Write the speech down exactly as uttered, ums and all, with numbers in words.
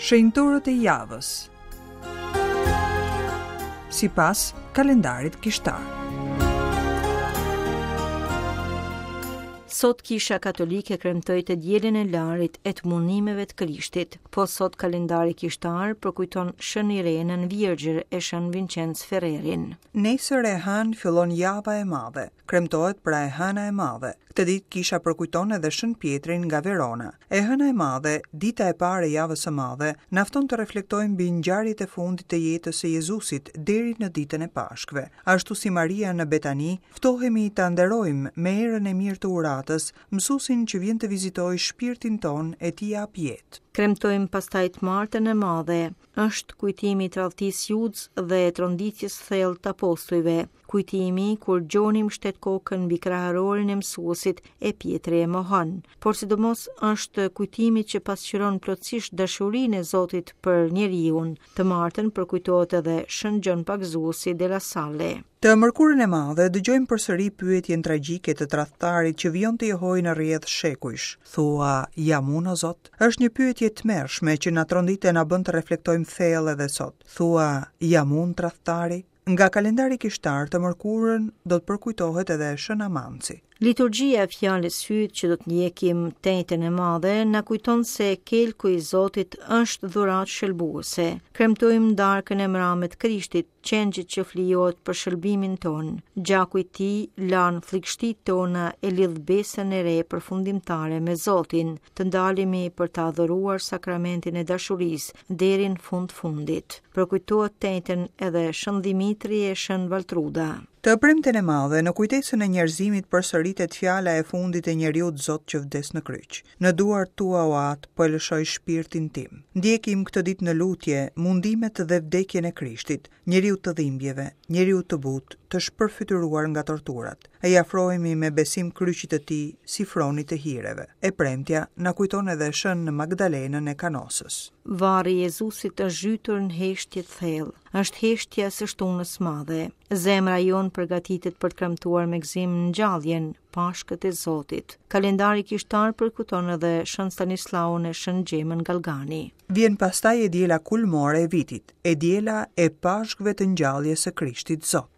Shenjtorët e javës. Sipas kalendarit kishtar. Sot Kisha Katolike kremtoi të dielën e Larit e të mundimeve të Krishtit. Po sot kalendari kishtar përkujton Shën Irenën Virgjër e Shën Vincenc Ferrerin. Nesër e hënë fillon java e madhe. Kremtohet pra e hëna e madhe. Këtë ditë kisha përkujton edhe Shën Pietrin nga Verona. E hëna e madhe, dita e parë e javës së madhe, na fton të reflektojmë mbi ngjarjet e fundit të jetës së Jezusit deri në ditën e Pashkëve. Ashtu si Maria në Betani, ftohemi ta nderojmë me erën e mirë të uratës, mësuesin që vjen të vizitojë shpirtin tonë e t'i jap jetë. Kremtojmë pastaj të martën e madhe. Është kujtimi i tradhtisë Judës dhe tronditjes thellë të apostujve. Kujtimi kur Gjoni mbështet kokën mbi kraharorin e mësuesit e Pjetri e mohon. Por sidomos është kujtimi që pasqyron plotësisht dashurinë e Zotit për njeriun. Të martën përkujtohet edhe Shën Gjon Pagëzuesi de la Salle. Të mërkurën e madhe dëgjojmë përsëri pyetjen tragjike të tradhtarit që vijon të jehojë në rrjedh shekujsh. Thua, jam unë o Zot? Është një pyetje e tmerrshme që na trondit e na bën të reflektojmë thellë edhe sot. Thua, jam unë tradhtari? Nga kalendari kishtar të mërkurën do të përkujtohet edhe Shën Amanci. Liturgjia e fjalës hyjt që do të ndjekim të enjten e madhe na kujton se kelku i Zotit është dhuratë shëlbuese. Kremtojmë darkën e mrame të Krishtit, qengjit që flijohet për shëlbimin ton. Gjaku i tij lan flikështitë tona e lidh besën e re përfundimtare me Zotin. Të ndalemi për të adhuruar sakramentin e dashurisë deri në fund fundit. Përkujtohet të enjten edhe Shën Dhimitri e Shën Valtruda. Të premten e madhe, në kujtesën e njerëzimit përsëritet fjala e fundit e njeriut Zot që vdes në kryq. Në duart tua, o Atë, po e lëshoj shpirtin tim. Ndjekim këtë ditë në lutje, mundimet dhe vdekjen e Krishtit, njeriu të dhimbjeve, njeriu të butë, të shpërfytyruar nga torturat. E i afrohemi me besim kryqit të tij, si fronit të hireve. E premtja na kujton edhe Shën Magdalenën e Kanosës. Varri i Jezusit është zhytur në heshtje të thellë. Është heshtja e së shtunës madhe. Zemra jonë përgatitet për të kremtuar me gëzim ngjalljen, Pashkët e Zotit. Kalendari kishtar përkujton edhe Shën Stanislaun e Shën Xhemën Galgani. Vjen pastaj e diela kulmore e vitit, e diela e Pashkëve të ngjalljes së Krishtit Zot.